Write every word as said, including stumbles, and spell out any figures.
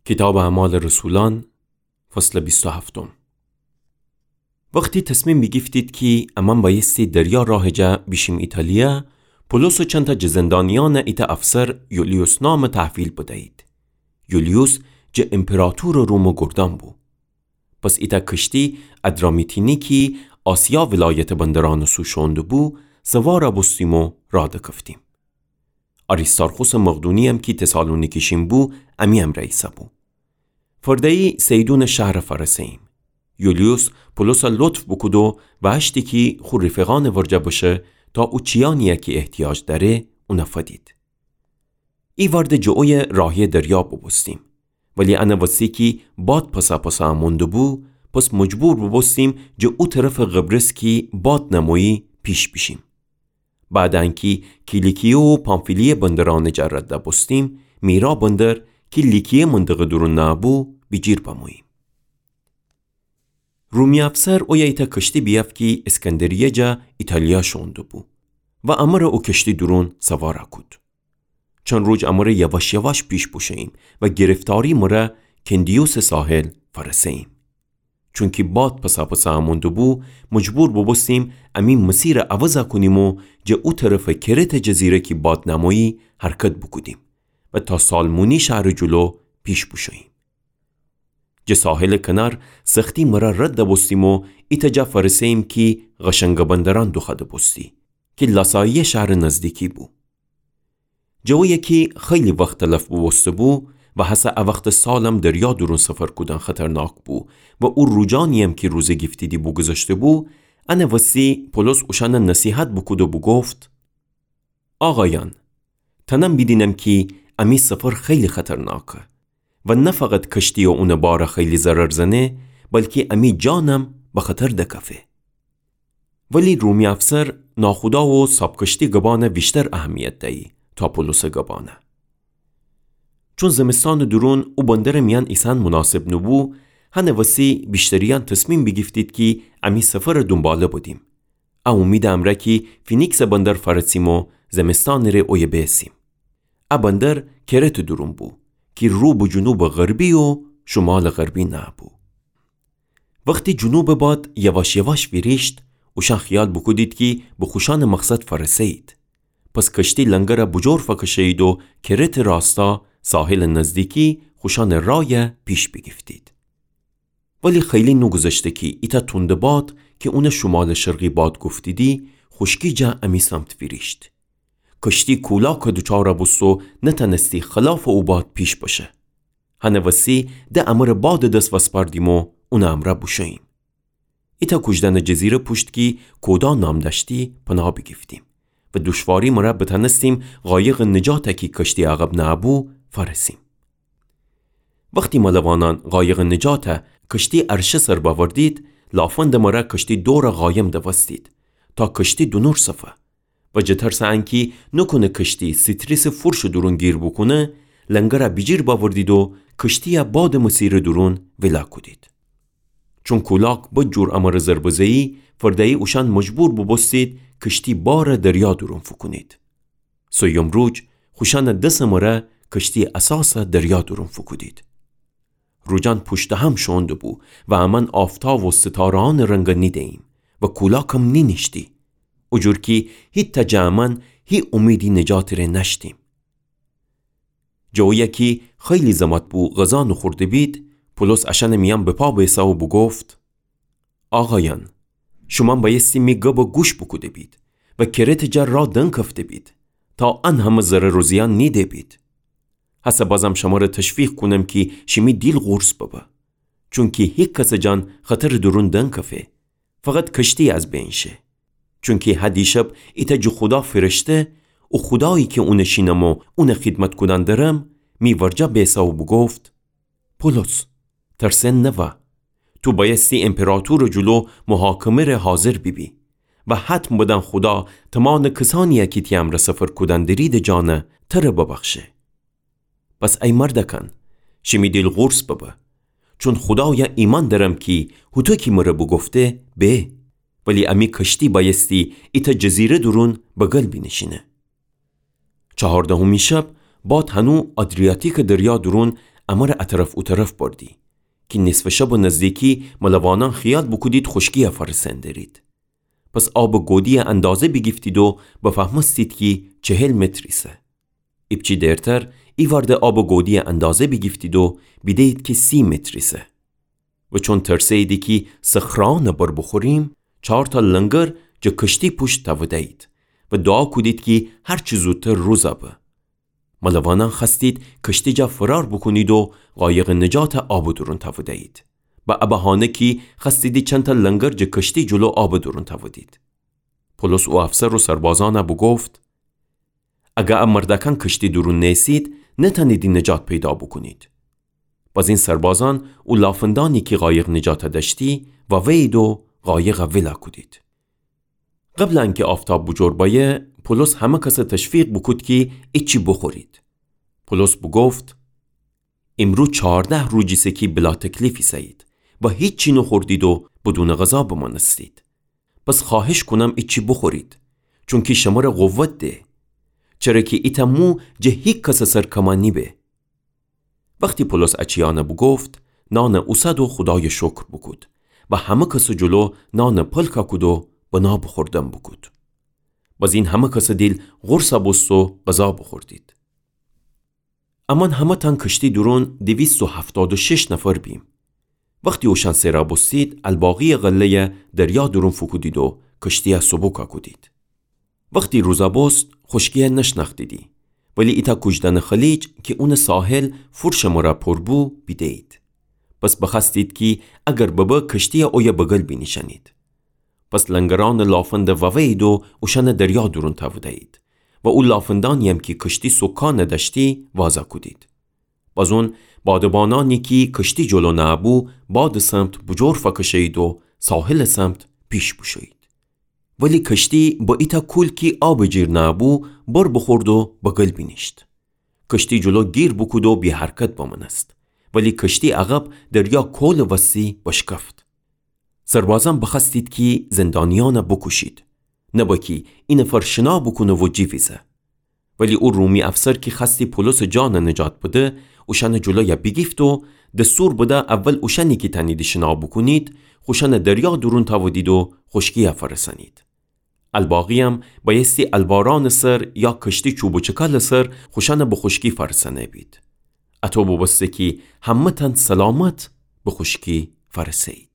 کیتابٚ اعمالٚ رسولأن، فصلٚ بیست و هفتم. وختی تصمیم بیگیفتید کی امأن بأیستی دریا راهٚ جا بیشیم ایتالیا، پولس و چندتأ جٚه زندانیأن ایتأ افسر یولیوس نامٚ تحویل بدیید. یولیوس جٚه ایمپراطورٚ رومٚ گردان بو. پس ایتأ کشتی ادرامیتینی کی آسیا ولایتٚ بندرأنٚ سو شوئون دوبو، سوار بوستیم و راه دکفتیم. آریستارخوسٚ مقدونی‌یم کی تسالونیکی شین بو، امی امرأ ایسه‌بو. فرده‌یی سیدونٚ شهر فأرسه‌ییم. یولیوس پولس لطف بوکود و وأشتی کی خو رفیقأنٚ ورجه بشه تا او چیأنی کی احتیاج دأره اون فدید. ایوأرده جٚه اویه راهی دریا بوبوستیم. ولی انٚ وسی کی باد پس‌پس امون دوبو، پس مجبور بوبوستیم جٚه او طرفٚ قبرس کی باد نمویی پیش بیشیم. بعد انکی کیلیکیه و پامفیلیه بندرأنٚ جا رد بوستیم، میرا بندر کی لیکیه منطقه دورون نأبو، بیجیر بموییم. رومی افسر اویه ایتأ کشتی بیأفت کی اسکندریه جا ایتالیا شوئون دوبو و امر او کشتی دورون سوار کود. چند روج امر یواش یواش پیش بوشوییم و گرفتاری مر کندیوسٚ ساحل فأرسه‌ییم. چونکی باد پس‌پس امون دوبو، مجبور بوبوستیم امی مسیر عوض کونیم و جٚه او طرفٚ کرتٚ جزیره کی باد نمویی حرکت بوکودیم و تا سالمونی شهرٚ جلو پیش بوشوییم. جٚه ساحلٚ کنار سختی مر رد بوستیم و ایتأ جا فأرسه‌ییم کی قشنگٚ بندرأن دوخوأده بوستی کی لاساییه شهرٚ نزدیکی بو. جٚه اویه کی خیلی وخت تلف بوبوسته‌بو و هسه ا وختٚ سالم دریا دورون سفر کودن خطرناک بو و او روجأنی‌یم کی روزه گیفتیدی بوگوذشته‌بو، انٚ وسی پولس اوشأن نصیحت بوکود و بوگفت: آقایأن، تأنم بیدینم کی امی سفر خیلی خطرناکه و نه فقط کشتی و اونٚ بار خیلی ضرر زنه، بلکی امی جانم به خطر دکفه. ولی رومی افسر ناخودا و صاب کشتی گبان ویشتر اهمیت دیی تا پولسٚ گبان. چون زمستانٚ دورون او بندرٚ میأن ایسأن مناسب نوبو، هنٚ وسی ویشتریأن تصمیم بیگیفتید کی امی سفرٚ دونباله بدیم. ا اومیدٚ امرأ کی فینیکسٚ بندر فأرسیم و زمستانٚ ره اویه بیسیم. ا بندر کرتٚ دورون بو کی رو به جنوبٚ غربی و شمالٚ غربی نأبو. وختی جنوبٚ باد یواش یواش ویریشت، اوشأن خیال بوکودید کی به خوشأنٚ مقصد فأرسه‌یید. پس کشتی لنگر بوجور فکشه‌یید و کرتٚ راستا ساحلٚ نزدیکی خوشأنٚ رای پیش بیگیفتید. ولی خیلی نوگوذشته کی ایتأ توندٚ باد کی اون شمالٚ شرقی باد گفتیدی، خوشکی جا امی سمت ویریشت. کشتی کولاک دوچار بوست و نتأنستی خلافٚ او باد پیش بشه. هنٚ وسی ده امرٚ بادٚ دس وسپاردیم و اونٚ امرأ بوشوییم. ایتأ کوجدأنٚ جزیره پوشت کی کودا نام دأشتی پناه بیگیفتیم و دوشواری مر بتأنستیم قایقٚ نجات کی کشتی عقب نه‌بو فأرسیم. وختی ملوانأن قایقٚ نجات کشتی عرشه سر بأوردید، لافندٚ مر کشتی دور قایم دوستید تا کشتی دونور صفه. و جٚه ترسٚ انکی نوکونه کشتی ستریسٚ فورشٚ دورون گیر بوکونه، لنگر بیجیر بأوردید و کشتی بادٚ مسیرٚ دورون ویلا کودید. چون کولاک بد جور امر ضربه زه‌یی، فرده‌یی اوشأن مجبور بوبوستید کشتی بار دریا دورون فوکونید. سویم روج خوشأنٚ دسٚ مر کشتی اساس دریا دورون فوکودید. روجأن پوشتٚ هم شوئون دوبو و امأن آفتاب و ستاره‌یأنٚ رنگ نیده‌ییم و کولاکم نینیشتی. او جور کی هیتأ جٚه امأن هی اومیدی نجاتٚ ره نأشتیم. جٚه اویه کی خیلی زمت بو غذا نوخورده بید، پولس اشأنٚ میأن به پا بیسه و بوگفت: آقایأن، شومأن بأیستی می گب گوش بوکوده بید و کرتٚ جا را دنکفته بید تا ان همه ضرر و زیان نیده بید. هسه بازم شمر تشویق کونم کی شیمی دیل قورص ببه، چونکی هیکسٚ جان خطرٚ دورون دنکفه، فقط کشتی از بین شه. چونکی هه دیشب ایتأ جٚه خودا فرشته، او خودایی کی اونٚ شینم و اونٚ خیدمت کودن درم، می ورجه بیسه و بوگفت: پولس، ترسن نوا. تو بأیستی ایمپراطورٚ جلو محاکمه ره حاضر بیبی و حتم بدن خودا تمانٚ کسأنیی کی تی امرأ سفر کودن دریدٚ جان تر ببخشه. پس ای مردکأن، شیمی دیل قورص ببه، چون خودای ایمأن درم کی هوطو کی مر بوگفته به. ولی امی کشتی بأیستی ایتأ جزیره دورون بغل بینیشینه. چهاردهمی شب باد هنو آدریاتیکٚ دریا دورون امره ا طرف او طرف بردی، کی نصفٚ شبٚ نزدیکی ملوانأن خیال بوکودید خوشکی‌یَ فأرسأن درید. پس آبٚ گودی‌یَ اندازه بیگیفتید و بفهمستید کی چهل متر ایسه. ایپچی دیرتر ایوأرده آبٚ گودی‌یَ اندازه بیگیفتید و بیده‌یید کی سی متر ایسه. و چون ترسه‌ییدی کی صخره‌یأنَ بر بوخوریم، چارتأ لنگر جٚه کشتی پوشت تأوده‌یید و دوعا کودید کی هر چی زودتر روزَ به. ملوانأن خوأستید کشتی جا فرار بوکونید و قایقٚ نجاتَ آبٚ دورون تأوده‌یید. به ا بهانه کی خوأستیدی چندتأ لنگر جٚه کشتی جلو آبٚ دورون تأودید. پولس او افسر و سربازأنَ بوگفت: اگر ا مردأکأن کشتی دورون نیسید، نتأنیدی نجات پیدا بوکونید. بازین سربازأن او لافندأنی کی قایق نجاتَ دأشتی، وأوه‌یید و قایقَ ولَ کودید. قبلٚ انکی آفتاب بوجور بأیه، پولس همه کسَ تشویق بوکود کی ایچی بوخورید. پولس بوگفت: ایمرو چارده روج ایسه کی بلاتکلیف ایسه‌یید و هیچی نوخوردید و بدونٚ غذا بمأنستید. پس خوأهش کونم ایچی بوخورید، چونکی شمره قوت ده. چره کی ایتأ مو جٚه هیکسٚ سر کمَ نیبه. وختی پولس ا چیأنَ بوگفت، نانَ اوسد و خودایَ شکر بوکود و همه کسٚ جلو نانَ پلکَ کود و بنا بوخوردن بوکود. بازین همه کسٚ دیل قرصَ بوست و غذا بوخوردید. امأن همه‌تأن کشتی دورون دویست و هفتاد و شش نفر بیم. وختی اوشأن سئرَ بوستید، الباقی‌یٚ غله‌یَ دریا دورون فوکودید و کشتی‌یَ سبکَ کودید. وختی روزَ بوست، خوشکی‌یَ نشنأختیدی، ولی ایتأ کوجدأنٚ خلیج کی اونٚ ساحل فور شمره پور بو، بیده‌یید. پس بخوأستید کی اگر ببه کشتی‌یَ اویه بگل بینیشأنید. پس لنگرأنٚ لافندَ وأوه‌یید و اوشأنَ دریا دورون تأوده‌یید و او لافندأنی‌یم کی کشتی سوکانَ دأشتی، وازَ کودید. بازون بادبانأنی کی کشتی جلو نأبو، بادٚ سمت بوجور فأکشه‌یید و ساحلٚ سمت پیش بوشویید. ولی کشتی به ایتأ کول کی آبٚ جیر نأبو، بر بوخورد و بگل بینیشت. کشتی جلو گیر بوکود و بی‌حرکت بمأنست. ولی کشتی عقب دریا کولٚ وستی بشکفت. سربازأن بخوأستید کی زندانیأنَ بوکوشید، نبه کی اینفر شنا بوکونه و جیویزه. ولی او رومی افسر کی خوأستی پولسٚ جانَ نجات بده، اوشأنٚ جلویَ بیگیفت و دستور بده اول اوشأنی کی تأنیدی شنا بوکونید، خوشأنَ دریا دورون تأودید و خوشکی‌یَ فأرسأنید. الباقی‌یم بأیستی البارأنٚ سر یا کشتی چوب و چکلٚ سر خوشأنَ به خوشکی فأرسأنه‌بید. اطو بوبوسته کی همه‌تأن سلامت به خوشکی فأرسه‌یید.